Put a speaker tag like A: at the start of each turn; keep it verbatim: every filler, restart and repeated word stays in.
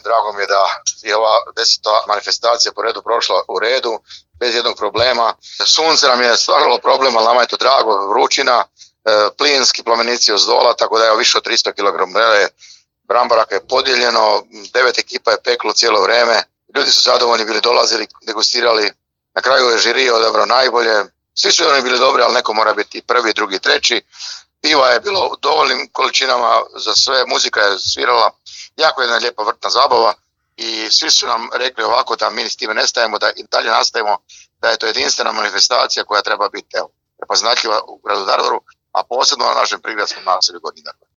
A: Drago mi je da je ova deseta manifestacija po redu prošla u redu, bez jednog problema. Sunce nam je stvaralo problem, ali nama je to drago, vrućina, plinski plamenici od zdola, tako da je više od tristo kilograma brambaraka je podijeljeno, devet ekipa je peklo cijelo vrijeme, ljudi su zadovoljni bili, dolazili, degustirali, na kraju je žiri odabrao najbolje, svi su oni bili dobri, ali neko mora biti prvi, drugi, treći. Piva je bilo u dovoljnim količinama za sve, muzika je svirala, jako jedna lijepa vrtna zabava i svi su nam rekli ovako da mi s time ne stajemo, da i dalje nastavimo, da je to jedinstvena manifestacija koja treba biti evo, prepoznatljiva u gradu Daruvaru, a posebno na našem prigradskom naselju Gornji Daruvar.